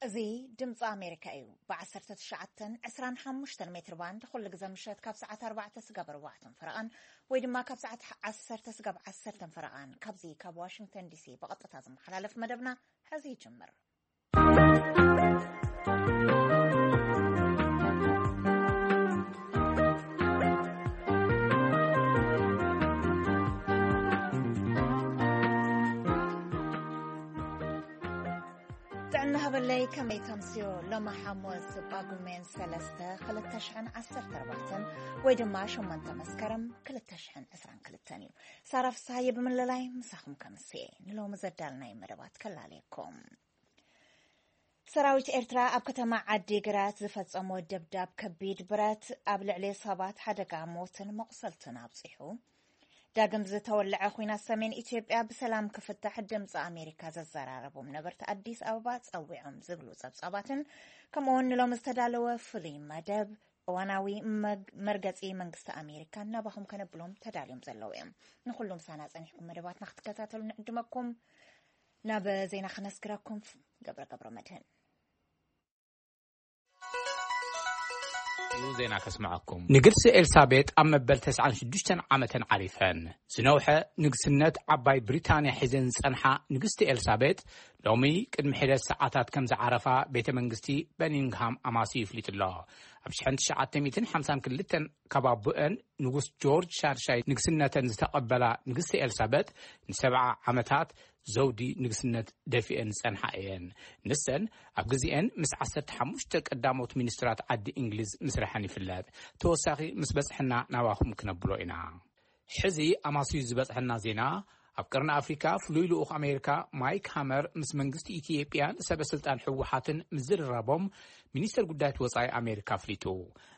እዚ ድምፂ ኣሜሪካ እዩ። ብ19፣ 25 ሜትር ባንድ ኩሉ ግዜ ምሸት ካብ ሰዓት 4 ስጋብ 4 ፈረቓን ወይ ድማ ካብ ሰዓት 10 ስጋብ 10 ፈረቓን ካብዚ ካብ ዋሽንግተን ዲሲ ብቐጥታ ዝመሓላለፍ መደብና ሕዚ ይጅምር። ጥዕና ሃበለይ፣ ከመይ ተምስዮ? ሎሚ ሓሙስ ጳጉሜን 3፣ 2014 ወይ ድማ 8 መስከረም 2022 እዩ። ሳራ ፍስሃየ ብምልላይ ምሳኹም ከምስየ። ንሎሚ ዘዳልናይ መደባት ከላለየኩም። ሰራዊት ኤርትራ ኣብ ከተማ ዓዲ ግራት ዝፈጸሞ ደብዳብ ከቢድ ብረት ኣብ ልዕሊ ሰባት ሓደጋ ሞትን መቑሰልትን ኣብጺሑ። ዳግም ዝተወለዐ ኲናት ሰሜን ኢትዮጵያ ብሰላም ክፍታሕ ድምፂ ኣሜሪካ ዘዘራረቦም ነበርቲ ኣዲስ ኣበባ ጸዊዖም ዝብሉ ጸብጻባትን ከምኡውን ንሎም ዝተዳለወ ፍሉይ መደብ እዋናዊ መግ-፣ መርገጺ መንግስቲ ኣሜሪካ ናባኹም ከነብሎም ተዳልዮም ዘለዉ እዮም። ንኹሉ ምሳና ጸኒሕኩም መደባትና ክትከታተሉ ንዕድመኩም። ናብ ዜና ክነስግረኩም ገብረ ገብረ መድህን። ዜና ከስምዐኩም። ንግስቲ ኤልሳቤጥ ኣብ መበል 96 ዓመተን ዓሪፈን። ዝነውሐ ንግስነት ዓባይ ብሪታንያ ሒዘን ዝጸንሓ ንግስቲ ኤልሳቤጥ ሎሚ ቅድሚ ሒደት ሰዓታት ከም ዝዓረፋ ቤተ መንግስቲ በኒንግሃም ኣማስዩ ይፍሊጡ ኣሎ። ኣብ 1952 ካብ ኣቦአን ንጉስ ጆርጅ ሻድሻይ ንግስነተን ዝተቐበላ ንግስቲ ኤልሳቤጥ ንሰብዓ ዓመታት ዘውዲ ንግስነት ደፊአን ዝጸንሓ እየን። ንሰን ኣብ ግዜአን ምስ 15 ቀዳሞት ሚኒስትራት ዓዲ እንግሊዝ ምስርሐን ይፍለጥ። ተወሳኺ ምስ በጽሐና ናባኹም ክነብሎ ኢና። ሕዚ ኣማስዩ ዝበጽሐና ዜና፣ ኣብ ቀርኒ ኣፍሪካ ፍሉይ ልኡኽ ኣሜሪካ ማይክ ሃመር ምስ መንግስቲ ኢትዮጵያን ሰበ ስልጣን ህወሓትን ምዝርራቦም ሚኒስተር ጉዳያት ወጻኢ ኣሜሪካ ኣፍሊጡ።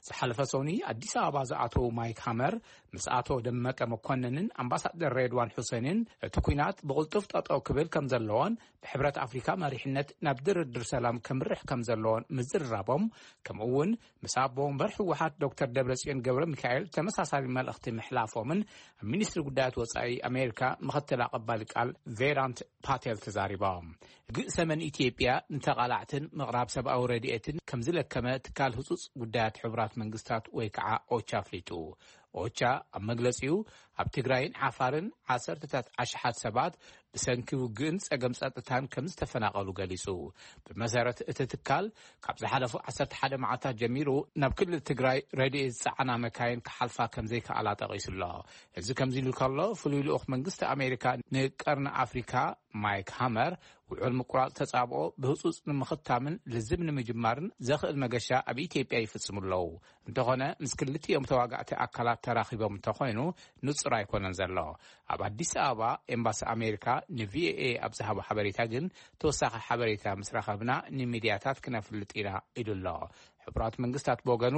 ዝሓለፈ ሰኑይ ኣዲስ ኣበባ ዝኣተዉ ማይክ ሃመር ምስ ኣቶ ደመቀ መኮንንን ኣምባሳደር ሬድዋን ሑሴንን እቲ ኲናት ብቕልጡፍ ጠጠው ክብል ከም ዘለዎን ብሕብረት ኣፍሪካ መሪሕነት ናብ ድርድር ሰላም ከምርሕ ከም ዘለዎን ምዝርራቦም፣ ከምኡ እውን ምስ ኣቦ ወንበር ህወሓት ዶክተር ደብረጽዮን ገብረ ሚካኤል ተመሳሳሊ መልእኽቲ ምሕላፎምን ኣብ ሚኒስትሪ ጉዳያት ወጻኢ ኣሜሪካ ምኽትል ኣቐባሊ ቃል ቬዳንት ፓቴል ተዛሪቦም። ግእ ሰመን ኢትዮጵያ ንተቓላዕትን ምቕራብ ሰብኣዊ ረድኤትን ከም ዝለከመ ትካል ህጹጽ ጉዳያት ሕቡራት መንግስታት ወይ ከዓ ኦቻ ኣፍሊጡ። ኦቻ ኣብ መግለጺኡ፣ ኣብ ትግራይን ዓፋርን ዓሰርተታት ኣሽሓት ሰባት ብሰንኪ ውግእን ጸገም ጸጥታን ከም ዝተፈናቐሉ ገሊጹ። ብመሰረት እቲ ትካል፣ ካብ ዝሓለፉ 11 መዓልታት ጀሚሩ ናብ ክልል ትግራይ ረድኤት ዝጸዓና መካይን ክሓልፋ ከም ዘይከኣላ ጠቒሱ ኣሎ። እዚ ከምዚ ኢሉ ከሎ፣ ፍሉይ ልኡኽ መንግስቲ ኣሜሪካ ንቀርኒ ኣፍሪካ ማይክ ሃመር፣ ውዑል ምቁራጽ ተጻብኦ ብህጹጽ ንምኽታምን ልዝብ ንምጅማርን ዘኽእል መገሻ ኣብ ኢትዮጵያ ይፍጽሙ ኣለዉ። እንተኾነ፣ ምስ ክልቲኦም ተዋጋእቲ ኣካላት ተራኺቦም እንተኾይኑ፣ ንጹር ኣይኮነን ዘሎ። ኣብ ኣዲስ ኣበባ ኤምባሲ ኣሜሪካ ንቪኦኤ ኣብ ዝሃቦ ሓበሬታ ግን፣ ተወሳኺ ሓበሬታ ምስ ረኸብና ንሚድያታት ክነፍልጥ ኢና ኢሉ ኣሎ። ሕቡራት መንግስታት ብወገኑ፣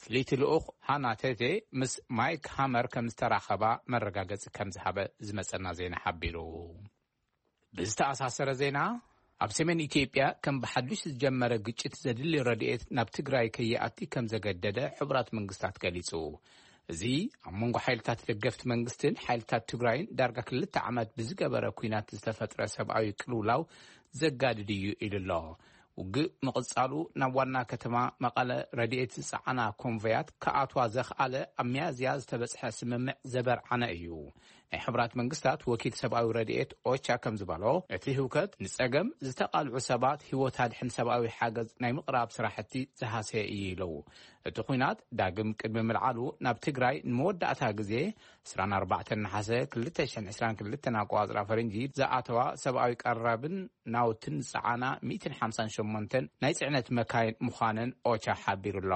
ፍልይቲ ልኡኽ ሃና ቴቴ ምስ ማይክ ሃመር ከም ዝተራኸባ መረጋገጺ ከም ዝሃበ ዝመጸና ዜና ሓቢሩ። ብዝተኣሳሰረ ዜና፣ ኣብ ሰሜን ኢትዮጵያ ከም ብሓዱሽ ዝጀመረ ግጭት ዘድሊ ረድኤት ናብ ትግራይ ከይኣቲ ከም ዘገደደ ሕቡራት መንግስታት ገሊጹ። እዚ ኣብ መንጎ ሓይልታት ደገፍቲ መንግስትን ሓይልታት ትግራይን ዳርጋ ክልተ ዓመት ብዝገበረ ኲናት ዝተፈጥረ ሰብኣዊ ቅልውላው ዘጋድድ እዩ ኢሉ ኣሎ። ውግእ ምቕጻሉ ናብ ዋና ከተማ መቐለ ረድኤት ዝጸዓና ኮንቮያት ክኣትዋ ዘኽኣለ ኣብ ሚያዝያ ዝተበጽሐ ስምምዕ ዘበርዓነ እዩ። ናይ ሕቡራት መንግስታት ወኪል ሰብኣዊ ረድኤት ኦቻ ከም ዝበሎ፣ እቲ ህውከት ንጸገም ዝተቓልዑ ሰባት ህይወት ኣድሕን ሰብኣዊ ሓገዝ ናይ ምቕራብ ስራሕቲ ዝሃሰየ እዩ ኢሉ። እቲ ኲናት ዳግም ቅድሚ ምልዓሉ ናብ ትግራይ ንመወዳእታ ግዜ 24 ነሓሰ 2022 ኣቆጻጽራ ፈረንጂ ዝኣተዋ ሰብኣዊ ቀረብን ናውትን ዝጸዓና 158 ናይ ጽዕነት መካይን ምዃነን ኦቻ ሓቢሩ ኣሎ።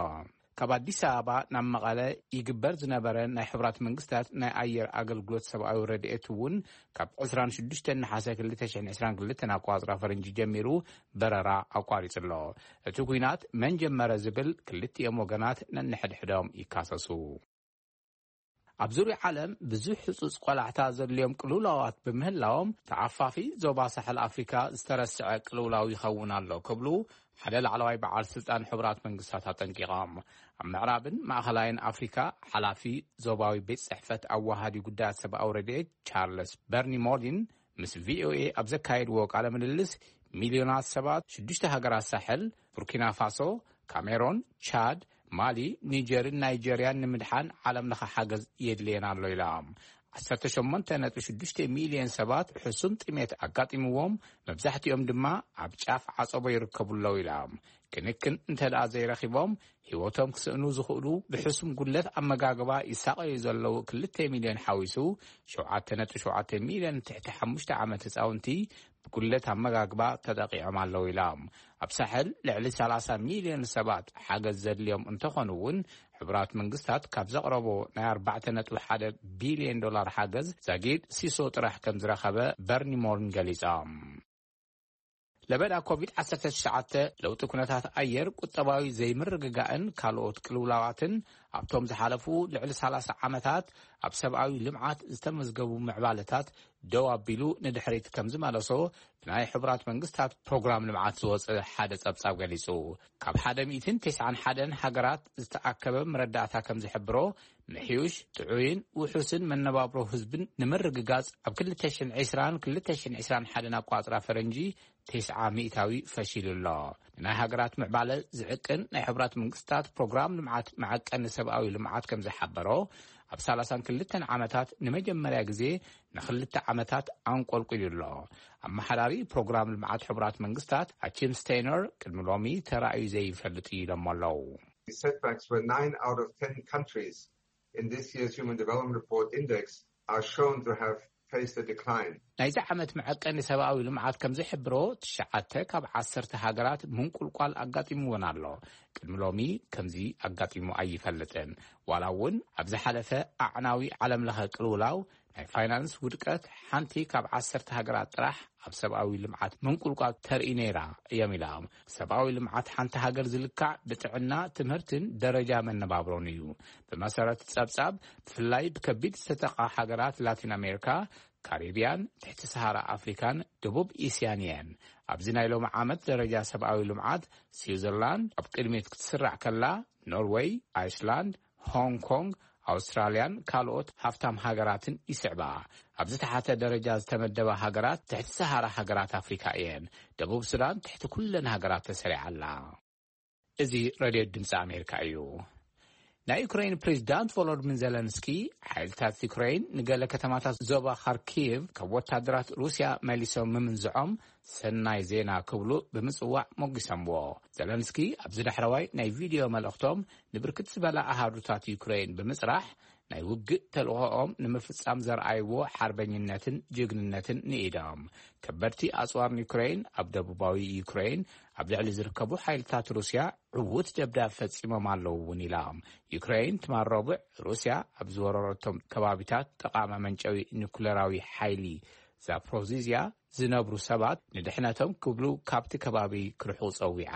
ካብ ኣዲስ ኣበባ ናብ መቐለ ይግበር ዝነበረ ናይ ሕቡራት መንግስታት ናይ ኣየር ኣገልግሎት ሰብኣዊ ረድኤት እውን ካብ 26 ነሓሰ 2022 ኣቆጻጽራ ፈረንጂ ጀሚሩ በረራ ኣቋሪጹ ኣሎ። እቲ ኲናት መን ጀመረ ዝብል ክልቲኦም ወገናት ነንሕድሕዶም ይካሰሱ። ኣብ ዙርያ ዓለም ብዙሕ ህጹጽ ቆላሕታ ዘድልዮም ቅልውላዋት ብምህላዎም፣ ተዓፋፊ ዞባ ሳሕል ኣፍሪካ ዝተረስዐ ቅልውላው ይኸውን ኣሎ ክብሉ ሓደ ላዕለዋይ በዓል ስልጣን ሕቡራት መንግስታት ኣጠንቂቖም። ኣብ ምዕራብን ማእኸላይን ኣፍሪካ ሓላፊ ዞባዊ ቤት ጽሕፈት ኣዋሃዲ ጉዳያት ሰብኣዊ ረድኤት ቻርለስ በርኒ ሞሊን ምስ ቪኦኤ ኣብ ዘካየድዎ ቃለ ምልልስ፣ ሚልዮናት ሰባት ሽዱሽተ ሃገራት ሳሕል፣ ቡርኪና ፋሶ፣ ካሜሮን፣ ቻድ፣ ማሊ፣ ኒጀርን ናይጀርያን ንምድሓን ዓለም ለኸ ሓገዝ የድልየን ኣሎ ኢላ። ዓሰርተ ሸሞንተ ነጥቢ ሽዱሽተ ሚልዮን ሰባት ሕሱም ጥሜት ኣጋጢምዎም፣ መብዛሕትኦም ድማ ኣብ ጫፍ ዓጸቦ ይርከቡ ኣለዉ ኢላ። ክንክን እንተ ደኣ ዘይረኺቦም፣ ህይወቶም ክስእኑ ዝኽእሉ ብሕሱም ጉድለት ኣመጋግባ ይሳቐዩ ዘለዉ ክልተ ሚልዮን ሓዊሱ፣ ሸውዓተ ነጥቢ ሸውዓተ ሚልዮን ትሕቲ ሓሙሽተ ዓመት ህጻውንቲ ብጉድለት ኣመጋግባ ተጠቒዖም ኣለዉ ኢላ። ኣብ ሳሕል ልዕሊ ሰላሳ ሚልዮን ሰባት ሓገዝ ዘድልዮም እንተኾኑ እውን፣ ሕቡራት መንግስታት ካብ ዘቕረቦ ናይ ኣርባዕተ ነጥቢ ሓደ ቢልዮን ዶላር ሓገዝ ዛጊድ ሲሶ ጥራሕ ከም ዝረኸበ በርኒ ሞርን ገሊጻ። ለበዳ ኮቪድ ዓሰርተ ትሽዓተ፣ ለውጢ ኩነታት ኣየር፣ ቁጠባዊ ዘይምርግጋእን ካልኦት ቅልውላዋትን ኣብቶም ዝሓለፉ ልዕሊ ሰላሳ ዓመታት ኣብ ሰብኣዊ ልምዓት ዝተመዝገቡ ምዕባለታት ደው ኣቢሉ ንድሕሪት ከም ዝመለሶ ብናይ ሕቡራት መንግስታት ፕሮግራም ልምዓት ዝወጸ ሓደ ጸብጻብ ገሊጹ። ካብ ሓደ ሚእትን ተስዓን ሓደን ሃገራት ዝተኣከበ መረዳእታ ከም ዝሕብሮ፣ ምሕዩሽ፣ ጥዑይን ውሑስን መነባብሮ ህዝብን ንምርግጋጽ ኣብ ክልተ ሽሕን ዕስራን ክልተ ሽሕን ዕስራን ሓደን ኣቋጽራ ፈረንጂ ተስዓ ሚእታዊ ፈሺሉ ኣሎ። ንናይ ሃገራት ምዕባለ ዝዕቅን ናይ ሕቡራት መንግስታት ፕሮግራም ልምዓት መዐቀኒ ሰብኣዊ ልምዓት ከም ዝሓበሮ፣ ኣብ ሰላሳን ክልተን ዓመታት ንመጀመርያ ግዜ ንኽልተ ዓመታት ኣንቆልቂሉ ኣሎ። ኣመሓዳሪ ፕሮግራም ልምዓት ሕቡራት መንግስታት ኣቺም ስቴይነር ቅድሚ ሎሚ ተራእዩ ዘይፈልጥ እዩ ኢሎም ኣለዉ። The setbacks were nine out of ten countries in this year's Human Development Report index are shown to have faced a decline. ናይዚ ዓመት መዐቀኒ ሰብኣዊ ልምዓት ከም ዝሕብሮ፣ ትሽዓተ ካብ ዓሰርተ ሃገራት ምንቁልቋል ኣጋጢምወን ኣሎ። ቅድሚ ሎሚ ከምዚ ኣጋጢሙ ኣይፈልጥን። ዋላ እውን ኣብ ዝሓለፈ ኣዕናዊ ዓለም ለኸ ቅልውላው ናይ ፋይናንስ ውድቀት ሓንቲ ካብ ዓሰርተ ሃገራት ጥራሕ ኣብ ሰብኣዊ ልምዓት ምንቁልቋል ተርኢ ነይራ እዮም ኢላ። ሰብኣዊ ልምዓት ሓንቲ ሃገር ዝልካዕ ብጥዕና፣ ትምህርትን ደረጃ መነባብሮን እዩ። ብመሰረት ጸብጻብ፣ ብፍላይ ብከቢድ ዝተጠቓ ሃገራት ላቲን ኣሜሪካ፣ ካሪብያን፣ ትሕቲ ሰሃራ ኣፍሪካን ደቡብ እስያን እየን። ኣብዚ ናይ ሎሚ ዓመት ደረጃ ሰብኣዊ ልምዓት፣ ስዊዘርላንድ ኣብ ቅድሚት ክትስራዕ ከላ፣ ኖርወይ፣ ኣይስላንድ፣ ሆንግ ኮንግ፣ ኣውስትራልያን ካልኦት ሃፍታም ሃገራትን ይስዕባ። ኣብ ዝተሓተ ደረጃ ዝተመደባ ሃገራት ትሕቲ ሰሃራ ሃገራት ኣፍሪካ እየን። ደቡብ ሱዳን ትሕቲ ኩለን ሃገራት ተሰሪዓ ኣላ። እዚ ሬድዮ ድምፂ ኣሜሪካ እዩ። ናይ ዩክሬን ፕሬዚዳንት ቮሎድሚር ዜለንስኪ፣ ሓይልታት ዩክሬን ንገለ ከተማታት ዞባ ካርኪቭ ካብ ወታደራት ሩስያ መሊሶም ምምንዝዖም ሰናይ ዜና ክብሉ ብምጽዋዕ ሞጊሶምዎ። ዘለንስኪ ኣብዚ ዳሕረዋይ ናይ ቪድዮ መልእኽቶም፣ ንብርክት ዝበላ ኣሃዱታት ዩክሬን ብምጽራሕ፣ ናይ ውግእ ተልእኾኦም ንምፍጻም ዘርኣይዎ ሓርበኝነትን ጅግንነትን ንኢዶም። ከበድቲ ኣጽዋር ዩክሬን ኣብ ደቡባዊ ዩክሬን ኣብ ልዕሊ ዝርከቡ ሓይልታት ሩስያ ዕዉት ደብዳብ ፈጺሞም ኣለዉ እውን ኢላ። ዩክሬን ትማል ረቡዕ ሩስያ ኣብ ዝወረረቶም ከባቢታት ጠቓሚ መንጨዊ ኒኩለራዊ ሓይሊ ዛፕሮዚዝያ ዝነብሩ ሰባት ንድሕነቶም ክብሉ ካብቲ ከባቢ ክርሕቑ ጸዊዓ።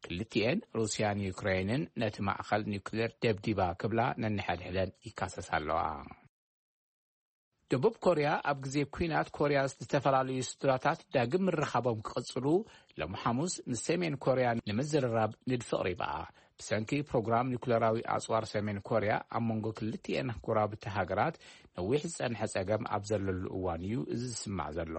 ክልቲኤን ሩስያን ዩክሬንን ነቲ ማእኸል ኒኩሌር ደብዲባ ክብላ ነንሕድሕደን ይካሰሳ ኣለዋ። ደቡብ ኮርያ ኣብ ግዜ ኲናት ኮርያ ዝተፈላለዩ ስድራታት ዳግም ምርኻቦም ክቕጽሉ ሎሚ ሓሙስ ንሰሜን ኮርያ ንምዝርራብ ንድፊ ኣቕሪባ። ብሰንኪ ፕሮግራም ኒኩለራዊ ኣጽዋር ሰሜን ኮርያ ኣብ መንጎ ክልቲኤን ጎረባብቲ ሃገራት ነዊሕ ዝጸንሐ ጸገም ኣብ ዘለሉ እዋን እዩ እዚ ዝስማዕ ዘሎ።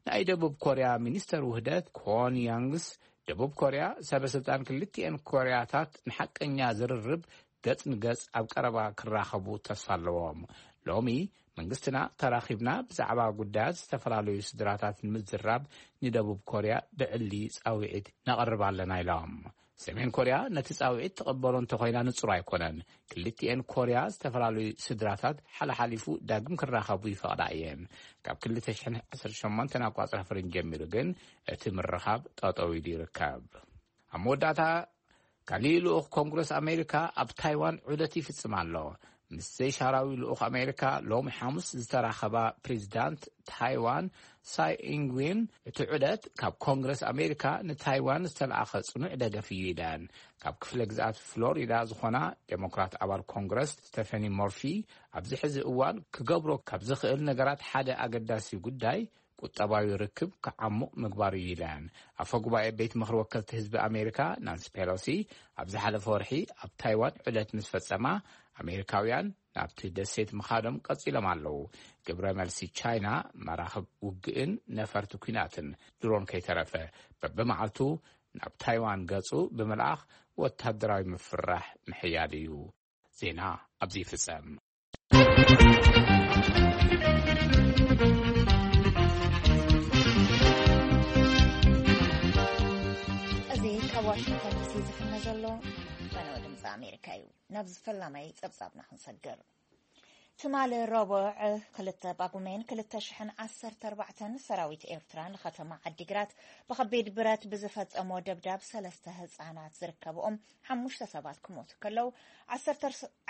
ናይ ደቡብ ኮርያ ሚኒስተር ውህደት ኮን ያንግስ፣ ደቡብ ኮርያ ሰበ ስልጣን ክልቲኤን ኮርያታት ንሓቀኛ ዝርርብ ገጽ ንገጽ ኣብ ቀረባ ክራኸቡ ተስፋ ኣለዎም። ሎሚ መንግስትና ተራኺብና ብዛዕባ ጉዳያት ዝተፈላለዩ ስድራታት ንምዝራብ ንደቡብ ኮርያ ብዕሊ ጻውዒት ነቕርብ ኣለና ኢሎም። ሰሜን ኮርያ ነቲ ጻውዒት ትቕበሎ እንተኾይና ንጹር ኣይኮነን። ክልቲኤን ኮርያ ዝተፈላለዩ ስድራታት ሓለሓሊፉ ዳግም ክራኸቡ ይፈቕዳ እየን። ካብ ክልተ ሽሕን ዓሰርተ ሸሞንተን ኣቋጽራ ፈረንጂ ጀሚሩ ግን እቲ ምርኻብ ጠጠው ኢሉ ይርከብ። ኣብ መወዳእታ፣ ካሊእ ልኡኽ ኮንግረስ ኣሜሪካ ኣብ ታይዋን ዑደት ይፍጽም ኣሎ። ምስ ዘይሻራዊ ልኡኽ ኣሜሪካ ሎሚ ሓሙስ ዝተራኸባ ፕሬዚዳንት ታይዋን ሳይ ኢንግዌን፣ እቲ ዑደት ካብ ኮንግረስ ኣሜሪካ ንታይዋን ዝተለኣኸ ጽኑዕ ደገፍ እዩ ኢለን። ካብ ክፍለ ግዝኣት ፍሎሪዳ ዝኾና ዴሞክራት ኣባል ኮንግረስ ስቴፈኒ ሞርፊ፣ ኣብዚ ሕዚ እዋን ክገብሮ ካብ ዝኽእል ነገራት ሓደ ኣገዳሲ ጉዳይ ቁጠባዊ ርክብ ክዓሙቕ ምግባር እዩ ኢለን። ኣፈ ጉባኤ ቤት ምኽሪ ወከልቲ ህዝቢ ኣሜሪካ ናንሲ ፔሎሲ ኣብ ዝሓለፈ ወርሒ ኣብ ታይዋን ዑደት ምስ ፈጸማ፣ ኣሜሪካውያን ኣብቲ ደሴት ምኻዶም ቀጺሎም ኣለዉ። ግብረ መልሲ ቻይና መራኽብ ውግእን ነፈርቲ ኲናትን ድሮን ከይተረፈ በብመዓልቱ ናብ ታይዋን ገጹ ብምልኣኽ ወታደራዊ ምፍራሕ ምሕያል እዩ። ዜና ኣብዚ ይፍጸም። እዚ ካብ ዋሽንግተን ዲሲ ዝፍነ ዘሎ ፈነወ ድምፂ ኣሜሪካ እዩ። ናብ ዝፈላማይ ጸብጻብና ክንሰግር። ትማሊ ረቡዕ ክልተ ጳጉሜን ክልተ ሽሕን ዓሰርተ ኣርባዕተን ሰራዊት ኤርትራ ንከተማ ዓዲግራት ብኸቢድ ብረት ብዝፈጸሞ ደብዳብ ሰለስተ ህጻናት ዝርከብኦም ሓሙሽተ ሰባት ክሞቱ ከለዉ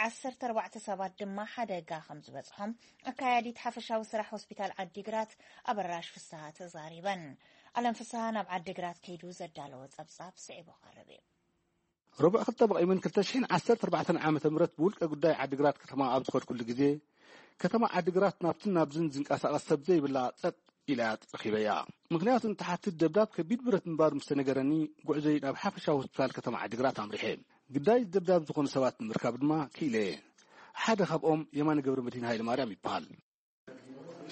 ዓሰርተ ኣርባዕተ ሰባት ድማ ሓደጋ ከም ዝበጽሖም ኣካያዲት ሓፈሻዊ ስራሕ ሆስፒታል ዓዲግራት ኣበራሽ ፍስሃ ተዛሪበን። ኣለም ፍስሃ ናብ ዓዲግራት ከይዱ ዘዳለወ ጸብጻብ ስዒቡ ቀርብ እዩ። ረቡዕ ክልተ ጳጉሜን ክልተ ሽሕን ዓሰርተ ኣርባዕተን ዓመተ ምህረት ብውልቀ ጉዳይ ዓዲግራት ከተማ ኣብ ዝኸድኩሉ ግዜ፣ ከተማ ዓዲግራት ናብትን ናብዝን ዝንቀሳቐስ ሰብ ዘይብላ ጸጥ ኢላ እያ ረኺበያ። ምኽንያቱ እንትሓትት ደብዳብ ከቢድ ብረት ምንባሩ ምስ ተነገረኒ፣ ጉዕዞይ ናብ ሓፈሻዊ ሆስፒታል ከተማ ዓዲግራት ኣምሪሐ። ግዳይ ደብዳብ ዝኾኑ ሰባት ንምርካብ ድማ ክኢለ እየ። ሓደ ካብኦም የማነ ገብረመድህን ሃይለማርያም ይበሃል።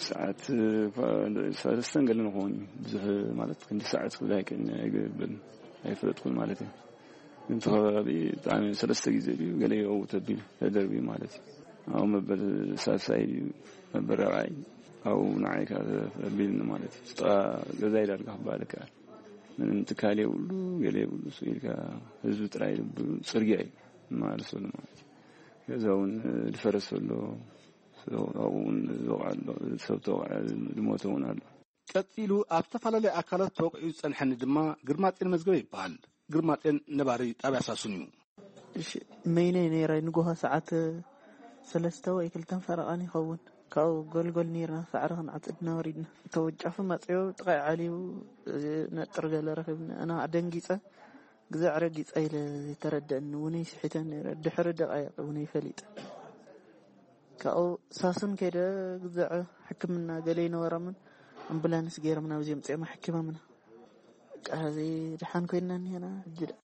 ሰዓት ሰለስተን ገለ ንኸውን እዩ። ብዙሕ ማለት ክንዲ ሰዓት ክብል ኣይክእልን እየ፣ ኣይገብርን፣ ኣይፈለጥኩን ማለት እዩ። ግን እቲ ከባቢ ብጣዕሚ ሰለስተ ግዜ ድዩ ገለ ይእው ተቢሉ ተደርብዩ ማለት እዩ። ኣብኡ መበል ሳልሳይ ድዩ መበል ራብዓይ ኣብኡ ንዓይ ከዓ ተቢልኒ ማለት እዩ። ጥቓ ገዛይ ዳርጋ ክበሃል ይከኣል። ምንም ትካል የብሉ፣ ገለ የብሉ። ስቕ ኢልካ ህዝቢ ጥራይ ልብሉ ጽርግያ እዩ ማለሰሉ ማለት እዩ። ገዛ እውን ዝፈረሰ ኣሎ፣ ኣብኡ እውን ዝወቕዐ ኣሎ፣ ሰብ ተወቕዐ፣ ዝሞተ እውን ኣሎ። ቀጺሉ ኣብ ዝተፈላለዩ ኣካላት ተወቒዑ ዝጸንሐኒ ድማ ግርማጼን መዝገበ ይበሃል። ግርማጼን ነባሪ ጣብያ ሳሱን እዩ። እሺ፣ መይነይ ነይረ ንጎሆ ሰዓት ሰለስተ ወይ ክልተን ፈረቓን ይኸውን። ካብኡ ጎልጎል ነይርና፣ ሳዕሪ ክንዓጽድ ኢና ወሪድና። ተወጫፉ መጺኡ ጥቓይ ዓልዩ ነጥሪ ገለ ረኺብና። ኣነ ደንጊጸ፣ ግዛዕ ረጊጸ ኢለ ዘይተረደአኒ፣ ውነይ ስሒተ ነይረ። ድሕሪ ደቓይቕ ውነይ ፈሊጠ። ካብኡ ሳሱን ከይደ ግዛዕ ሕክምና ገለ ይነበሮምን ኣምቡላንስ ገይሮም ናብዚ ኣምጺኦም ኣሕኪሞምና። በቃ እዚ ደሓን ኮይንና እኒሀና ሕጂ ደኣ።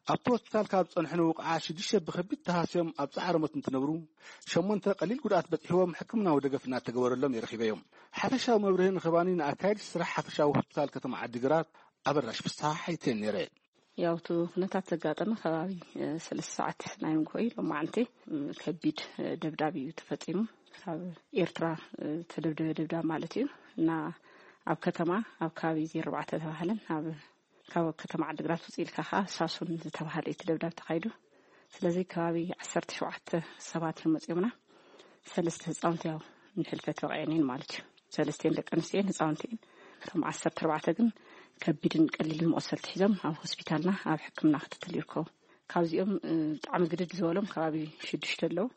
ኣብቲ ሆስፒታል ካብ ዝጸንሑ ንውቕዓ ሽዱሽተ ብኸቢድ ተሃስዮም ኣብ ጻዕረ ሞት እንትነብሩ፣ ሸሞንተ ቀሊል ጉድኣት በጺሕዎም ሕክምናዊ ደገፍ እናተገበረሎም እዩ ረኺበዮም። ሓፈሻዊ መብርሂ ንኽባኒ ንኣካየድቲ ስራሕ ሓፈሻዊ ሆስፒታል ከተማ ዓዲግራት ኣበራሽ ፍስሓ ሓይተን ነይረ። ያው እቲ ኩነታት ዘጋጠመ ከባቢ ሰለስተ ሰዓት ናይ ንግሆ እዩ። ሎማዓንቲ ከቢድ ደብዳብ እዩ ተፈጺሙ። ካብ ኤርትራ ዝተደብደበ ደብዳብ ማለት እዩ። እና ኣብ ከተማ ኣብ ከባቢ ዜሮ ኣርባዕተ ተባህለን ኣብ ካብ ከተማ ዓዲግራት ውፅእ ኢልካ ከዓ ሳሱን ዝተባህለ እዩ እቲ ደብዳብ ተኻይዱ። ስለዚ ከባቢ ዓሰርተ ሸውዓተ ሰባት እዮም መፂኦምና። ሰለስተ ህፃውንቲ ያው ንሕልፈት በቂዐን እየን ማለት እዩ። ሰለስቲኤን ደቂ ኣንስትዮ እየን፣ ህፃውንቲ እየን። እቶም ዓሰርተ ኣርባዕተ ግን ከቢድን ቀሊልን መቆሰልቲ ሒዞም ኣብ ሆስፒታልና ኣብ ሕክምና ክትትል ይርከቡ። ካብዚኦም ብጣዕሚ ግድድ ዝበሎም ከባቢ ሽዱሽተ ኣለዉ።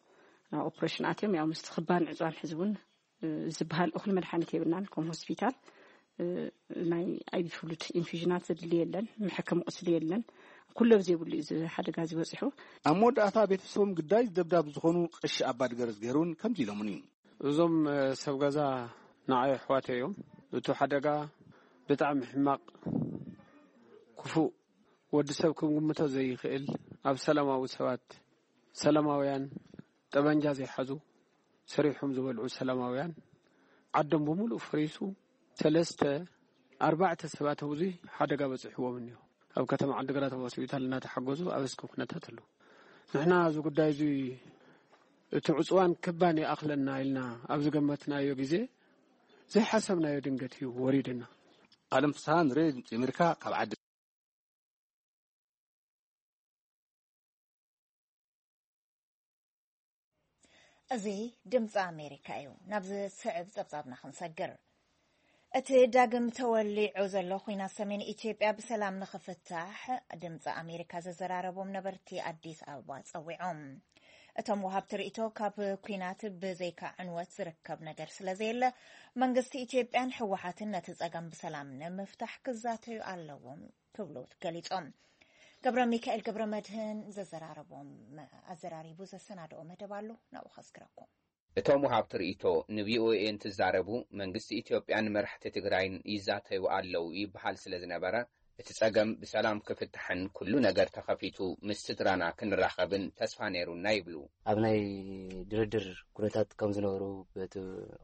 ናብ ኦፕሬሽን ኣትዮም ያው ምስቲ ክባን ዕፅዋን ሕዚ እውን ዝበሃል እኹል መድሓኒት የብልናን ከም ሆስፒታል። ናይ ኣይቪ ፍሉድ ኢንፊዥናት ዘድሊ የለን፣ መሐከሚ ቁስሊ የለን። ኩሎ ብዘይብሉ እዩ እዚ ሓደጋ እዚ በፂሑ። ኣብ መወዳእታ ቤተሰቦም ግዳይ ደብዳብ ዝኾኑ ቀሺ ኣባ ድገረዝ ገይሩን ከምዚ ኢሎምኒ። እዞም ሰብ ገዛ ንዓይ ኣሕዋተይ እዮም። እቲ ሓደጋ ብጣዕሚ ሕማቕ ክፉእ ወዲ ሰብ ክግምቶ ዘይኽእል ኣብ ሰላማዊ ሰባት ሰላማውያን ጠበንጃ ዘይሓዙ ሰሪሖም ዝበልዑ ሰላማውያን ዓዶም ብምሉእ ፈሪሱ ሰለስተ ኣርባዕተ ሰባት ኣብዚ ሓደጋ በፂሕዎም እኒሆ ኣብ ከተማ ዓዲግራት ኣብ ሆስፒታል እናተሓገዙ ኣብ እስኪ ኩነታት ኣለዉ። ንሕና እዚ ጉዳይ እዚ እቲ ዕፅዋን ክባን ይኣኽለና ኢልና ኣብ ዝገመትናዮ ግዜ ዘይሓሰብናዮ ድንገት እዩ ወሪድና። ኣለም ፍስሃ ንሬድዮ ድምፂ ኣሜሪካ ካብ ዓዲ እዚ ድምፂ ኣሜሪካ እዩ። ናብ ዝስዕብ ፀብፃብና ክንሰግር። እቲ ዳግም ተወሊዑ ዘሎ ኹናት ሰሜን ኢትዮጵያ ብሰላም ንኽፍታሕ ድምፂ ኣሜሪካ ዘዘራረቦም ነበርቲ ኣዲስ ኣበባ ፀዊዖም። እቶም ወሃብቲ ርእይቶ ካብ ኲናት ብዘይካ ዕንወት ዝርከብ ነገር ስለዘየለ መንግስቲ ኢትዮጵያን ህወሓትን ነቲ ፀገም ብሰላም ንምፍታሕ ክዛተዩ ኣለዎም ክብሉ ገሊጾም። ገብረ ሚካኤል ገብረ መድህን ዘዘራረቦም ኣዘራሪቡ ዘሰናድኦ መደብ ኣሎ፣ ናብኡ ከስግረኩም። እቶም ወሃብቲ ርእይቶ ንቪኦኤ እንትዛረቡ፣ መንግስቲ ኢትዮጵያን መራሕቲ ትግራይን ይዛተዩ ኣለዉ ይበሃል ስለ ዝነበረ፣ እቲ ጸገም ብሰላም ክፍታሕን ኩሉ ነገር ተኸፊቱ ምስ ስድራና ክንራኸብን ተስፋ ነይሩና ይብሉ። ኣብ ናይ ድርድር ኩነታት ከም ዝነበሩ፣ እቲ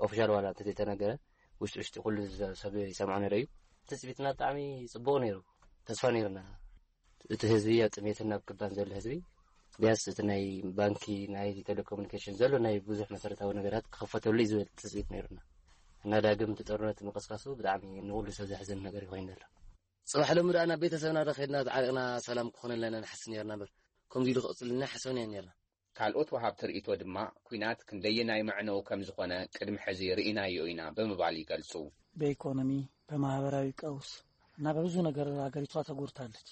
ኦፊሻል ዋላ እንተዘይተነገረ፣ ውሽጢ ውሽጢ ኩሉ ሰብ ይሰምዖ ነይሩ እዩ። ትጽቢትና ብጣዕሚ ጽቡቕ ነይሩ። ተስፋ ነይሩና። እቲ ህዝቢ ኣብ ጥሜትን ኣብ ክባን ዘሎ ህዝቢ፣ ቢያንስ እቲ ናይ ባንኪ፣ ናይ ቴሌኮሙኒኬሽን ዘሎ ናይ ብዙሕ መሰረታዊ ነገራት ክኽፈተሉ እዩ ዝብል ትጽቢት ነይሩና። እና ዳግም እቲ ጦርነት ምቕስቃሱ ብጣዕሚ ንኹሉ ሰብ ዘሕዝን ነገር ይኾይኑ ዘሎ። ጽባሕ ሎሚ ደኣ ናብ ቤተሰብና ዶ ከድና ተዓሪቕና ሰላም ክኾነልና ኢና ንሓስብ ነርና እምበር፣ ከምዚ ኢሉ ክቕጽልና ሓሰብና ነርና። ካልኦት ወሃብቲ ርእይቶ ድማ፣ ኲናት ክንደየናይ መዕነዊ ከም ዝኾነ ቅድሚ ሕዚ ርኢናዮ ኢና ብምባል ይገልጹ። በኢኮኖሚ፣ በማህበራዊ ቀውስ እና በብዙ ነገር ሀገሪቷ ተጎድታለች።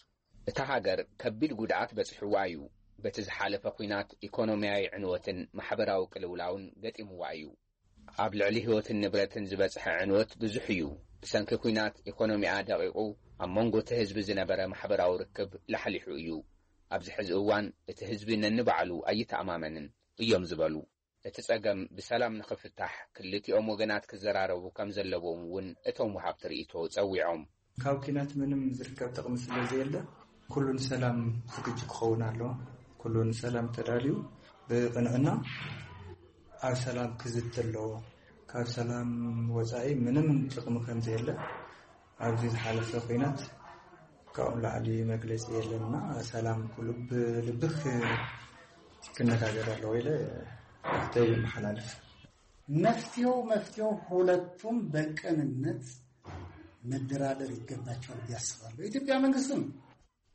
እታ ሃገር ከቢድ ጉድኣት በጺሕዋ እዩ። በቲ ዝሓለፈ ኲናት ኢኮኖሚያዊ ዕንወትን ማሕበራዊ ቅልውላውን ገጢምዋ እዩ። ኣብ ልዕሊ ህይወትን ንብረትን ዝበጽሐ ዕንወት ብዙሕ እዩ። ብሰንኪ ኲናት ኢኮኖሚኣ ደቒቑ፣ ኣብ መንጎ እቲ ህዝቢ ዝነበረ ማሕበራዊ ርክብ ላሕሊሑ እዩ። ኣብዚ ሕዚ እዋን እቲ ህዝቢ ነንባዕሉ ኣይተኣማመንን እዮም ዝበሉ። እቲ ጸገም ብሰላም ንኽፍታሕ ክልቲኦም ወገናት ክዘራረቡ ከም ዘለዎም እውን እቶም ወሃብቲ ርእይቶ ጸዊዖም። ካብ ኲናት ምንም ዝርከብ ጥቕሚ ስለ ዘየለ፣ ኩሉ ንሰላም ዝግጁ ክኸውን ኣለዎ። ኩሉ ንሰላም ተዳልዩ ብቕንዕና ኣብ ሰላም ክዝቲ ኣለዎ። ካብ ሰላም ወጻኢ ምንም ጥቕሚ ከም ዘየለ ኣብዚ ዝሓለፈ ኲናት ካብኡ ንላዕሊ መግለጺ የለንና። ሰላም ኩሉ ብልብኽ ክነጋገር ኣለዎ ኢለ ርኢቶይ የመሓላልፍ። መፍትሄው መፍትሄው ሁለቱም በቅንነት መደራደር ይገባቸዋል ብዬ አስባለሁ። የኢትዮጵያ መንግስትም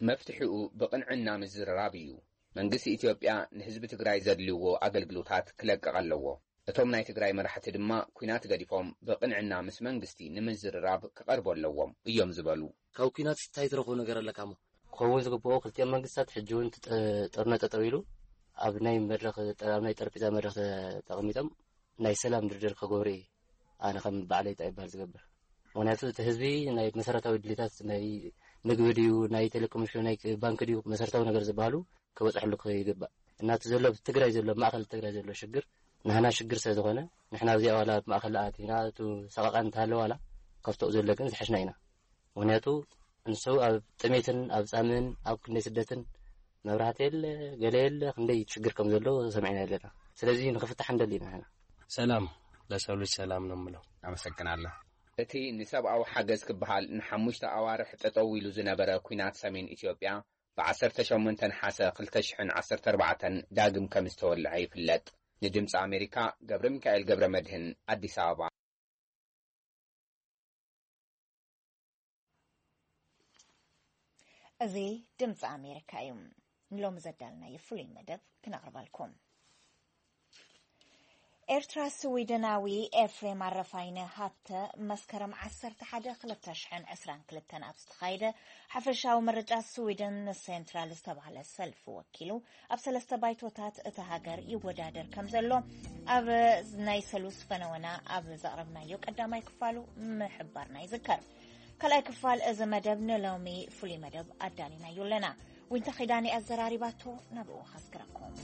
መፍትሒኡ ብቕንዕና ምዝርራብ እዩ። መንግስቲ ኢትዮጵያ ንህዝቢ ትግራይ ዘድልይዎ ኣገልግሎታት ክለቅቕ ኣለዎ። እቶም ናይ ትግራይ መራሕቲ ድማ ኲናት ገዲፎም ብቕንዕና ምስ መንግስቲ ንምዝርራብ ክቐርቡ ኣለዎም እዮም ዝበሉ። ካብ ኲናት እንታይ ትረኽቦ ነገር ኣለካ እሞ? ክኸውን ዝግብኦ፣ ክልቲኦም መንግስታት ሕጂ እውን እቲ ጠ-፣ ጦርነት ጠጠው ኢሉ ኣብ ናይ መድረኽ፣ ኣብ ናይ ጠረጴዛ መድረኽ ተቐሚጦም ናይ ሰላም ድርድር ክገብሩ እየ ኣነ ከም በዓለይ ጣይ ይበሃል ዝገብር። ምኽንያቱ እቲ ህዝቢ ናይ መሰረታዊ ድሌታት ናይ ምግቢ ድዩ፣ ናይ ቴሌኮሙኒኬሽን፣ ናይ ባንክ ድዩ፣ መሰረታዊ ነገር ዝበሃሉ ክበፅሐሉ ይግባእ። እና እቲ ዘሎ ኣብ ትግራይ ዘሎ፣ ኣብ ማእኸል ትግራይ ዘሎ ሽግር ንሕና ሽግር ስለ ዝኾነ፣ ንሕና ኣብዚኣ ዋላ ኣብ ማእኸል ኣቲና እቲ ሰቐቐን እንተሃለወ ዋላ ካብቶኡ ዘሎ ግን ዝሓሽና ኢና። ምኽንያቱ ንሱ ኣብ ጥሜትን ኣብ ጻምእን ኣብ ክንደይ ስደትን መብራህቲ የለ፣ ገለ የለ፣ ክንደይ ሽግር ከም ዘሎ ሰሚዕና ኣለና። ስለዚ ንኽፍታሕ ንደሊ ኢና ንሕና። ሰላም ለሰው ልጅ ሰላም ነው የምለው። ኣመሰግናለሁ። እቲ ንሰብኣዊ ሓገዝ ክበሃል ንሓሙሽተ ኣዋርሕ ጠጠው ኢሉ ዝነበረ ኲናት ሰሜን ኢትዮጵያ ብዓሰርተ ሸሞንተ ነሓሰ ክልተ ሽሕን ዓሰርተ ኣርባዕተን ዳግም ከም ዝተወልዐ ይፍለጥ። ንድምፂ ኣሜሪካ ገብረ ሚካኤል ገብረ መድህን፣ ኣዲስ ኣበባ። እዚ ድምፂ ኣሜሪካ እዩ። ንሎሚ ዘዳልናዮ ፍሉይ መደብ ክነቕርበልኩም። ኤርትራ ስዊድናዊ ኤፍሬም ኣረፋይነ ሃብተ መስከረም ዓሰርተ ሓደ ክልተ ሽሕን ዕስራን ክልተን ኣብ ዝተኻየደ ሓፈሻዊ ምርጫ ስዊድን ንሴንትራል ዝተባህለ ሰልፊ ወኪሉ ኣብ ሰለስተ ባይቶታት እታ ሃገር ይወዳደር ከም ዘሎ ኣብ ናይ ሰሉስ ፈነወና ኣብ ዘቕረብናዮ ቀዳማይ ክፋሉ ምሕባርና ይዝከር። ካልኣይ ክፋል እዚ መደብ ንሎሚ ፍሉይ መደብ ኣዳሊናዮ ኣለና። ዊንታ ኺዳነ ኣዘራሪባቶ ናብኡ ከስግረኩም።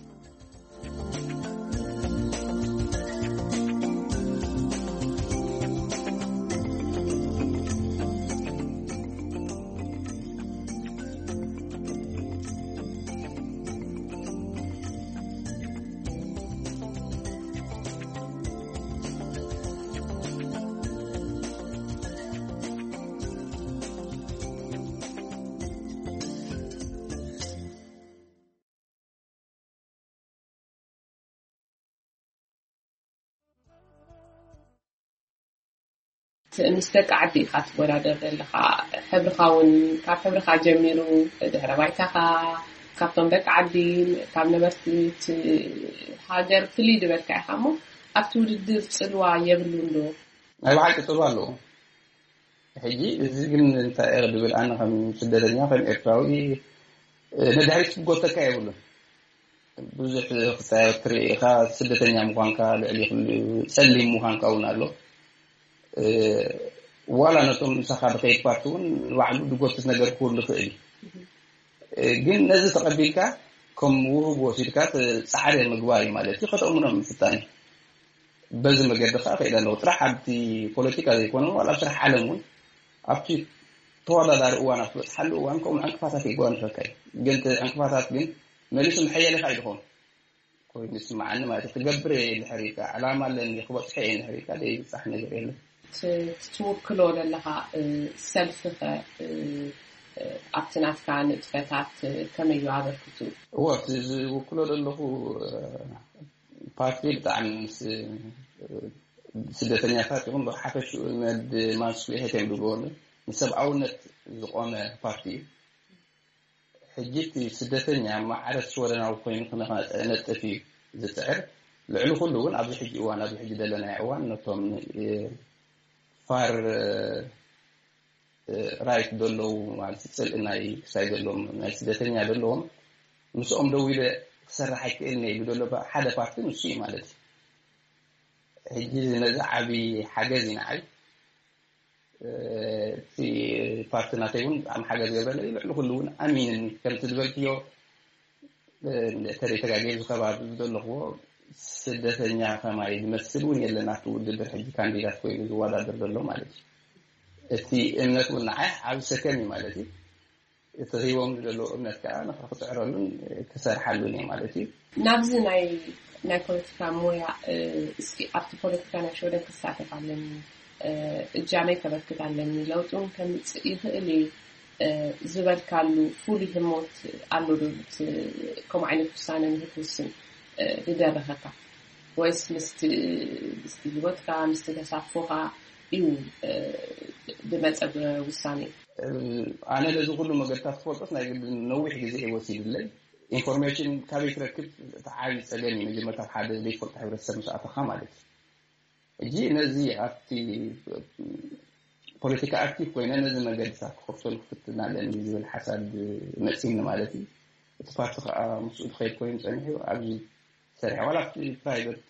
ምስ ደቂ ዓዲ ኢኻ ትወዳደር ዘለኻ። ሕብርኻ እውን ካብ ሕብርኻ ጀሚሩ፣ ድሕረ ባይታኻ፣ ካብቶም ደቂ ዓዲ፣ ካብ ነበርቲ እቲ ሃገር ፍልይ ዝበልካ ኢኻ እሞ ኣብቲ ውድድር ጽልዋ የብሉን ዶ? ናይ ብሓቂ ጽልዋ ኣለዎ። ሕጂ እዚ ግን እንታይ እየ ድብል፣ ኣነ ከም ስደተኛ፣ ከም ኤርትራዊ፣ እ፣ ንድሕሪት ክጎተካ የብሉን። ብዙሕ ክጻየር ትርኢ ኢኻ። ስደተኛ ምዃንካ ልዕሊ ኩሉ ጸሊም ምዃንካ እውን ኣሎ። እ፣ ዋላ ነቶም ምሳኻ ድኸይድ ፓርቲ እውን ንባዕሉ ድጎትት ነገር ክህሉ ይኽእል እዩ። እ፣ ግን ነዚ ተቐቢልካ ከም ውህብ ወሲድካ ተ-፣ ጻዕሪ ምግባር እዩ ማለት እዩ። ከተእምኖም ምፍታን እዩ። በዚ መገዲ ከኣ ከይደ ኣለኹ። ጥራሕ ኣብቲ ፖለቲካ ዘይኮነ፣ ዋላ ኣብ ስራሕ ዓለም እውን ኣብቲ ተወዳዳሪ እዋን ኣብ ትበፅሓሉ እዋን ከምኡ ዕንቅፋታት ይጓንፈካ እዩ። ግን እቲ ዕንቅፋታት ግን መሊሱ ምሐየለካ እዩ ዝኸውን ኮይኑ ይስምዓኒ ማለት እዩ። ክገብር እየ ድሕር ኢልካ ዕላማ ኣለኒ ክበፅሐ እየ ድሕር ኢልካ ዘይብፃሕ ነገር የለን። ትውክሎ ዘለካ ሰልፍኸ ኣብቲ ናትካ ንጥፈታት ከመይ እዩ ኣበርክቱ? እወ ዝውክሎ ዘለኹ ፓርቲ ብጣዕሚ ምስ ስደተኛታት ይኹን ብሓፈሽኡ መድ ማንስፍሊሄት እዮም ዝብልዎ ንሰብኣውነት ዝቆመ ፓርቲ እዩ። ሕጂ እቲ ስደተኛ ማዕረ ሽወደናዊ ኮይኑ ክነጥፍ እዩ ዝፅዕር። ልዕሊ ኩሉ እውን ኣብዚ ሕጂ እዋን ኣብዚ ሕጂ ዘለናዮ እዋን ነቶም ፋር ራይት ዘለዉ ማለት ፅልኢ ናይ ክሳይ ዘለዎም ናይ ስደተኛ ዘለዎም ምስኦም ደው ኢለ ክሰርሕ ኣይክእልን ኢሉ ዘሎ ሓደ ፓርቲ ንሱ እዩ ማለት እዩ። ሕጂ ነዚ ዓብዪ ሓገዝ እዩ ንዓይ። እቲ ፓርቲ ናተይ እውን ብጣዕሚ ሓገዝ ገብረለይ ልዕሊ ኩሉ እውን ኣሚንኒ ከምቲ ዝበልክዮ ተሪተጋገ ዝከባቢ ዘለኽዎ ስደተኛ ከማይ ዝመስል እውን የለን ኣብቲ ውድድር ሕጂ ካንዲዳት ኮይኑ ዝወዳደር ዘሎ ማለት እዩ። እቲ እምነት እውን ንዓይ ዓብ ሰከም እዩ ማለት እዩ። እቲ ሂቦም ዘለዉ እምነት ከዓ ንክፅዕረሉን ክሰርሓሉን እየ ማለት እዩ። ናብዚ ናይ ናይ ፖለቲካ ሞያ እስኪ ኣብቲ ፖለቲካ ናይ ሽወደን ክሳተፍ ኣለኒ እጃመይ ከበርክት ኣለኒ ለውጢ እውን ከምፅእ ይኽእል እዩ ዝበልካሉ ፍሉይ ህሞት ኣሎ ዶ? ከምኡ ዓይነት ውሳነ ንክትውስን ዝደረኸካ ወይስ ምስቲ ምስቲ ህይወትካ ምስቲ ተሳትፎካ እዩ ዝመፀ ውሳነ? ኣነ ነዚ ኩሉ መገድታት ክፈልጦስ ናይ ግድን ነዊሕ ግዜ እዩ ወሲድለይ። ኢንፎርሜሽን ካበይ ክረክብ እቲ ዓብዪ ፀገም እዩ። መጀመርታ ሓደ ዘይትፈልጦ ሕብረተሰብ ምስ ኣተኻ ማለት እዩ። ሕጂ ነዚ ኣብቲ ፖለቲካ ኣክቲቭ ኮይነ ነዚ መገድታት ክኸፍተሉ ክፍትን ኣለኒ ዝብል ሓሳብ መፂኒ ማለት እዩ። እቲ ፓርቲ ከዓ ምስኡ ዝኸይድ ኮይኑ ፀኒሑ ኣብዚ ሰሪሐ ዋላ ኣብቲ ፕራይቨት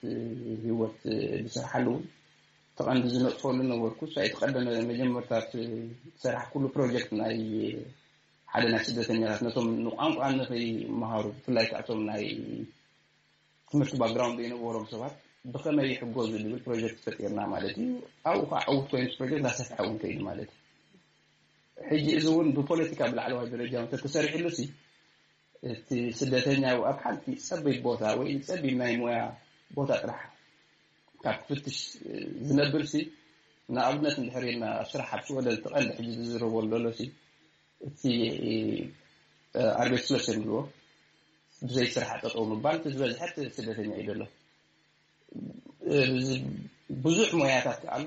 ህይወት ዝሰርሓሉ እውን ተቐንዲ ዝነጥፈሉ ነበርኩ። እሳ እቲ ቀደመ መጀመርታት ዝሰራሕኩሉ ፕሮጀክት ናይ ሓደ ናይ ስደተኛታት ነቶም ንቋንቋ ንኸይመሃሩ ብፍላይ ከኣቶም ናይ ትምህርቲ ባክግራውንድ ዘይነበሮም ሰባት ብኸመይ ይሕገዙ ዝብል ፕሮጀክት ፈጢርና ማለት እዩ። ኣብኡ ከዓ ዕውት ኮይኑ ፕሮጀክት ላሰፍሐ እውን ከይዱ ማለት እዩ። ሕጂ እዚ እውን ብፖለቲካ ብላዕለዋይ ደረጃ እውን ተተሰሪሕሉ ሲ እቲ ስደተኛ ኣብ ሓንቲ ጸቢብ ቦታ ወይ ጸቢብ ናይ ሞያ ቦታ ጥራሕ ካብ ክፍትሽ ዝነብር ሲ ንኣብነት እንድሕር ኢልና ኣብ ስራሕ ኣብ ሽወደን እቲ ቀንዲ ሕጂ ዝዝረበሉ ዘሎ ሲ እቲ ኣርቤትስሎስ የብልዎ ብዘይ ስራሕ ጠጠው ምባል እቲ ዝበዝሐ እቲ ስደተኛ እዩ ዘሎ። ብዙሕ ሞያታት ኣሎ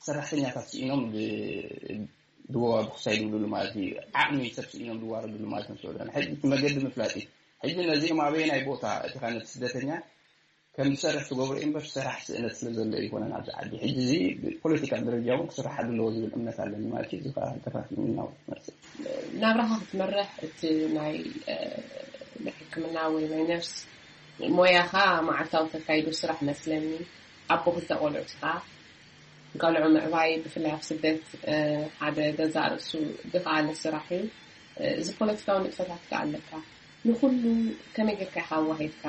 ሰራሕተኛታት ስኢኖም ድወዋብኩ ሳይ ዝብልሉ ማለት እዩ። ዓቕሚ ሰብ ስኢኖም ድዋረድሉ ማለት ነው። ሰውዳን ሕጂ እቲ መገዲ ምፍላጥ እዩ። ሕጂ ነዚኦም ኣበየናይ ቦታ እቲኻ ነቲ ስደተኛ ከም ዝሰርሕ ትገብሮ እምበር ሰራሕ ስእነት ስለ ዘሎ ይኮነን ኣብዚ ዓዲ። ሕጂ እዚ ፖለቲካ ደረጃ እውን ክስራሕ ኣለዎ ዝብል እምነት ኣለኒ ማለት እዩ። እዚ ከዓ ተፋፊምና መፅእ ናብራኻ ክትመርሕ እቲ ናይ ናይ ሕክምና ወይ ናይ ነርስ ሞያኻ መዓልታዊ ተካይዶ ስራሕ መስለኒ። ኣቦ ክልተ ቆልዑ ኢኻ። ቆልዑ ምዕባይ ብፍላይ ኣብ ስደት ሓደ ገዛእ ርእሱ ዝኸኣለ ስራሕ እዩ። እዚ ፖለቲካዊ ንጥፈታት ከ ኣለካ። ንኹሉ ከመይ ጌርካ ኢኻ ኣዋሂድካ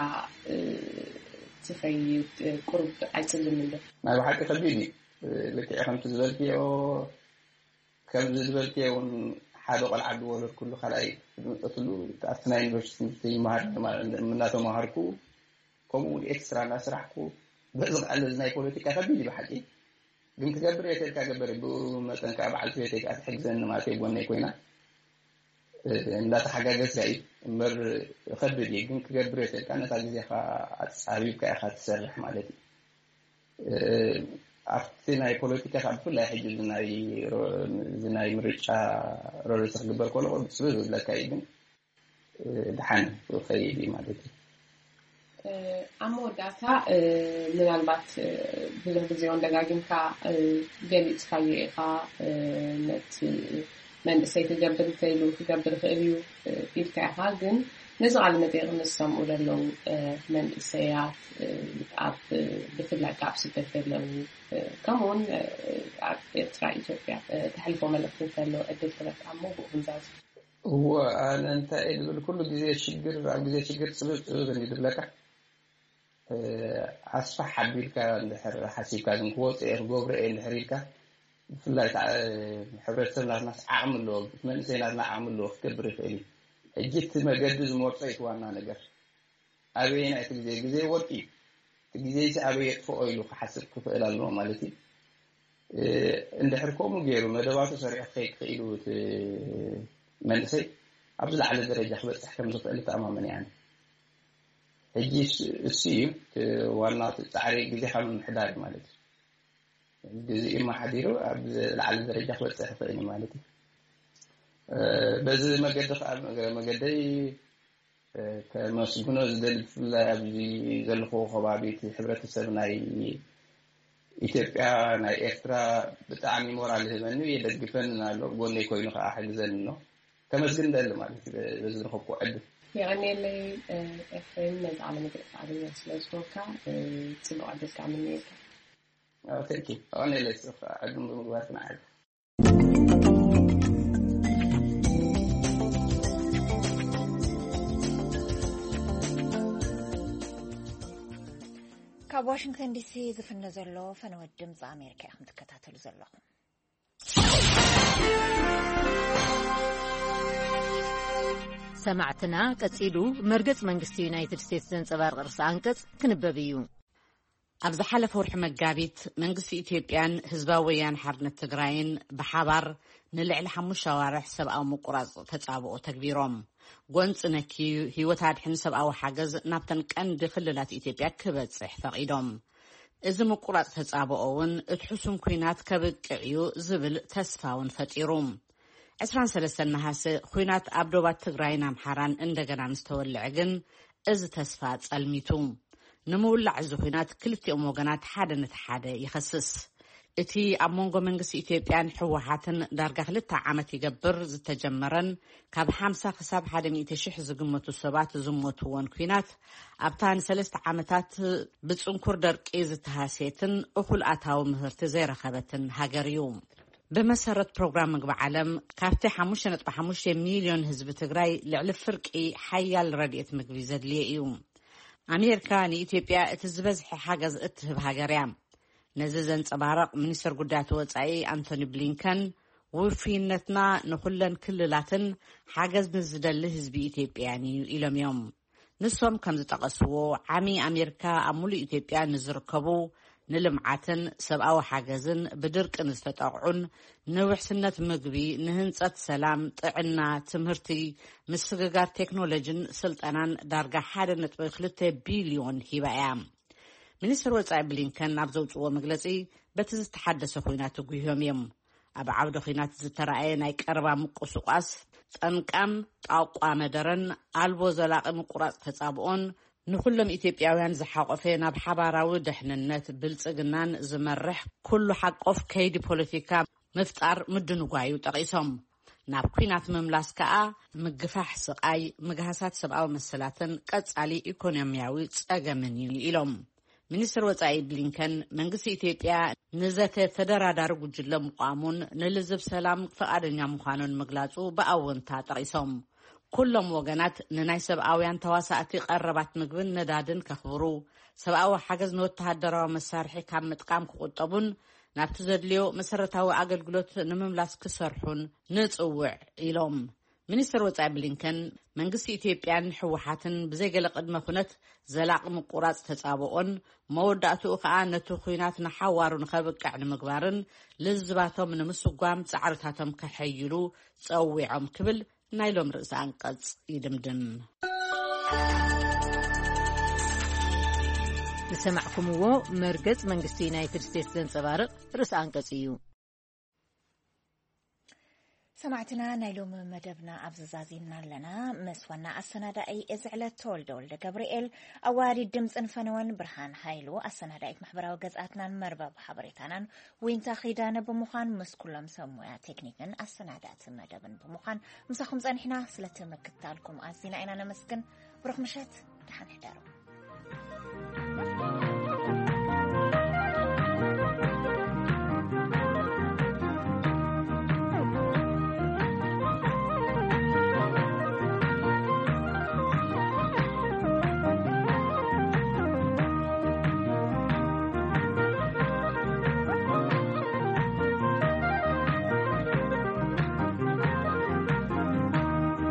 ትኸይድ? ቁሩብ ኣይጽልምን ዶ? ናይ ብሓቂ ከቢድ እዩ። ልክዕ ከምቲ ዝበልክዮ ከምዚ ዝበልክዮ እውን ሓደ ቆልዓ ዝወለድኩሉ ካልኣይ ዝመፀትሉ ኣብቲ ናይ ዩኒቨርሲቲ ትምህርቲ ይመሃር እናተመሃርኩ ከምኡ እውን ኤክስትራ እናስራሕኩ በዚ ከዓ እዚ ናይ ፖለቲካ ከቢድ እዩ ብሓቂ ግን ክገብር እየ ተልካ ገበር ብኡ መጠን ከዓ በዓልቲ ቤተይ ከዓ ትሕግዘኒ ማለት እዩ ጎነይ ኮይና እንዳተሓጋገዝካ እዩ እምበር ከቢድ እዩ ግን ክገብር እየ ተልካ ነታ ግዜካ ኣፃቢብካ ኢካ ትሰርሕ ማለት እዩ ኣብቲ ናይ ፖለቲካ ካብ ብፍላይ ሕጂ እዚ ናይ ምርጫ ሮሬስ ክግበር ከሎ ብፅብብ ዝብለካ እዩ ግን ድሓን ክኸይድ እዩ ማለት እዩ። ኣብ መወዳእታ ምናልባት ብዙሕ ግዜ እውን ደጋጊምካ ገሊፅካዮ ኢኻ ነቲ መንእሰይ ክገብር እንተኢሉ ክገብር ይኽእል እዩ ኢልካ ኢኻ ግን ነዚ ቃለ መጠይቕ ምስ ሰምኡ ዘለዉ መንእሰያት ኣብ ብፍላይ ካብ ስደት ዘለዉ ከምኡውን ኣብ ኤርትራ ኢትዮጵያ ተሕልፎ መልእኽቲ እንተሎ ዕድል ክበካ እሞ ብኡ ክንዛዝ እወ ኣነ እንታይ እየ ዝብል ኩሉ ግዜ ሽግር ኣብ ግዜ ሽግር ፅብብ ፅብብ እንዲ ዝብለካ ኣስፋሕ ኣቢልካ እንድሕር ሓሲብካ ግን ክወፅእ እየ ክገብሮ እየ እንድሕር ኢልካ ብፍላይ ከዓ ሕብረተሰብ ናትናስ ዓቕሚ ኣለዎ፣ መንእሰይ ናትና ዓቕሚ ኣለዎ ክገብር ይኽእል እዩ። ሕጂ እቲ መገዲ ዝመርጾ እዩ እቲ ዋና ነገር። ኣበየናይ እቲ ግዜ? ግዜ ወርቂ እዩ። እቲ ግዜ እዚ ኣበይ የጥፍኦ ኢሉ ክሓስብ ክኽእል ኣለዎ ማለት እዩ። እንድሕር ከምኡ ገይሩ መደባቱ ሰሪዑ ክኸይድ ክኢሉ እቲ መንእሰይ ኣብ ዝለዓለ ደረጃ ክበፅሕ ከም ዝኽእል ተኣማመን እያ። ሕጂ እሱ እዩ ዋና ፃዕሪ ግዜኻ ምምሕዳር ማለት እዩ። ግዜኡ መሓዲሩ ኣብ ዝለዓለ ደረጃ ክበፅሕ ይኽእል ማለት እዩ። በዚ መገዲ ከዓ መገደይ ከመስግኖ ዝደሊ ብፍላይ ኣብዚ ዘለኹዎ ከባቢ እቲ ሕብረተሰብ ናይ ኢትዮጵያ ናይ ኤርትራ ብጣዕሚ ሞራል ይህበኒ የደግፈን ኣሎ ጎነይ ኮይኑ ከዓ ሕግዘን ኣሎ። ከመስግን ደሊ ማለት እዩ በዚ ዝረኸብኩ ዕድል። የቐንየለይ። ኤፍሬም ነዚ ቃለ መግለፂ ኣገኛ ስለ ዝኾንካ ፅቡቅ ዕድል ከዓ ምንየልካ። ተንኪ ኣቐንየለይ። ዕድል ብምግባር ክነዓል። ካብ ዋሽንግተን ዲሲ ዝፍነ ዘሎ ፈነወት ድምፂ ኣሜሪካ ኢኹም ትከታተሉ ዘለኹም። ሰማዕትና፣ ቀጺሉ መርገጽ መንግስቲ ዩናይትድ ስቴትስ ዘንጸባርቕ ርእሰ ኣንቀጽ ክንበብ እዩ። ኣብ ዝሓለፈ ወርሒ መጋቢት መንግስቲ ኢትዮጵያን ህዝባዊ ወያነ ሓርነት ትግራይን ብሓባር ንልዕሊ ሓሙሽተ ኣዋርሕ ሰብኣዊ ምቁራጽ ተጻብኦ ተግቢሮም። ጎንጺ ነኪ ህይወት ኣድሕን ሰብኣዊ ሓገዝ ናብተን ቀንዲ ክልላት ኢትዮጵያ ክበጽሕ ፈቒዶም። እዚ ምቁራጽ ተጻብኦ እውን እቲ ሕሱም ኲናት ከብቅዕ እዩ ዝብል ተስፋ እውን ፈጢሩ። ዕስራን ሰለስተን ነሃሰ ኲናት ኣብ ዶባት ትግራይን ኣምሓራን እንደገና ምስ ተወልዐ ግን እዚ ተስፋ ጸልሚቱ። ንምውላዕ እዚ ኲናት ክልቲኦም ወገናት ሓደ ነቲ ሓደ ይኸስስ። እቲ ኣብ መንጎ መንግስቲ ኢትዮጵያን ህወሓትን ዳርጋ ክልተ ዓመት ይገብር ዝተጀመረን ካብ ሓምሳ ክሳብ ሓደ ሚእቲ ሽሕ ዝግመቱ ሰባት ዝሞትዎን ኲናት ኣብታ ንሰለስተ ዓመታት ብጽንኩር ደርቂ ዝተሃስየትን እኹል ኣታዊ ምህርቲ ዘይረኸበትን ሃገር እዩ። ብመሰረት ፕሮግራም ምግቢ ዓለም ካብቲ ሓሙሽተ ነጥቢ ሓሙሽተ ሚልዮን ህዝቢ ትግራይ ልዕሊ ፍርቂ ሓያል ረድኤት ምግቢ ዘድልዮ እዩ። ኣሜሪካ ንኢትዮጵያ እቲ ዝበዝሐ ሓገዝ እትህብ ሃገር እያ። ነዚ ዘንጸባረቕ ሚኒስትር ጉዳያት ወጻኢ ኣንቶኒ ብሊንከን፣ ውፍይነትና ንኹለን ክልላትን ሓገዝ ንዝደሊ ህዝቢ ኢትዮጵያን እዩ ኢሎም እዮም። ንሶም ከም ዝጠቐስዎ፣ ዓሚ ኣሜሪካ ኣብ ሙሉእ ኢትዮጵያ ንዝርከቡ ንልምዓትን ሰብኣዊ ሓገዝን ብድርቂ ንዝተጠቕዑን ንውሕስነት ምግቢ፣ ንህንጸት ሰላም፣ ጥዕና፣ ትምህርቲ፣ ምስግጋር ቴክኖሎጂን ስልጠናን ዳርጋ ሓደ ነጥቢ ክልተ ቢልዮን ሂባ እያ። ሚኒስትር ወጻኢ ብሊንከን ኣብ ዘውጽእዎ መግለጺ፣ በቲ ዝተሓደሰ ኲናት ተጒህዮም እዮም። ኣብ ዓውደ ኲናት ዝተራእየ ናይ ቀረባ ምቁስቋስ፣ ጠንቃም ጣቋ መደረን ኣልቦ ዘላቒ ምቁራጽ ተጻብኦን ንኹሎም ኢትዮጵያውያን ዝሓቖፈ ናብ ሓባራዊ ድሕንነት ብልጽግናን ዝመርሕ ኩሉ ሓቆፍ ከይዲ ፖለቲካ ምፍጣር ምድንጓዩ ጠቒሶም። ናብ ኲናት ምምላስ ከኣ ምግፋሕ ስቓይ፣ ምግሃሳት ሰብኣዊ መሰላትን ቀጻሊ ኢኮኖሚያዊ ጸገምን እዩ ኢሎም። ሚኒስትር ወጻኢ ብሊንከን፣ መንግስቲ ኢትዮጵያ ንዘተ ተደራዳሪ ጉጅለ ምቋሙን ንልዝብ ሰላም ፍቓደኛ ምዃኑን ምግላጹ ብኣወንታ ጠቒሶም። ኩሎም ወገናት ንናይ ሰብኣውያን ተዋሳእቲ ቀረባት ምግብን ነዳድን ከኽብሩ፣ ሰብኣዊ ሓገዝ ንወተሃደራዊ መሳርሒ ካብ ምጥቃም ክቑጠቡን ናብቲ ዘድልዮ መሰረታዊ ኣገልግሎት ንምምላስ ክሰርሑን ንጽውዕ ኢሎም። ሚኒስትር ወጻኢ ብሊንከን፣ መንግስቲ ኢትዮጵያን ህወሓትን ብዘይገለ ቅድመ ኩነት ዘላቒ ምቁራጽ ተጻብኦን መወዳእትኡ ከኣ ነቲ ኲናት ንሓዋሩ ንኸብቅዕ ንምግባርን ልዝባቶም ንምስጓም ጻዕርታቶም ከሐይሉ ጸዊዖም ክብል ናይ ሎም ርእሰ ኣንቀጽ ይድምድም። ዝሰማዕኩምዎ መርገጽ መንግስቲ ዩናይትድ ስቴትስ ዘንጸባርቕ ርእሰ ኣንቀጽ እዩ። ሰማዕትና፣ ናይ ሎሚ መደብና ኣብዚ ዛዚምና ኣለና። ምስ ዋና ኣሰናዳኢ እዚ ዕለት ተወልደ ወልደ ገብርኤል፣ ኣዋሃዲት ድምፅን ፈነወን ብርሃን ሃይሉ፣ ኣሰናዳኢት ማሕበራዊ ገጻትናን መርበብ ሓበሬታናን ዊንታ ኺዳነ ብምዃን፣ ምስ ኩሎም ሰብ ሞያ ቴክኒክን ኣሰናዳእቲ መደብን ብምዃን ምሳኹም ጸኒሕና። ስለቲ ምክትታልኩም ኣዚና ኢና ነመስግን። ብሩኽ ምሸት፣ ደሓን ሕደሩ።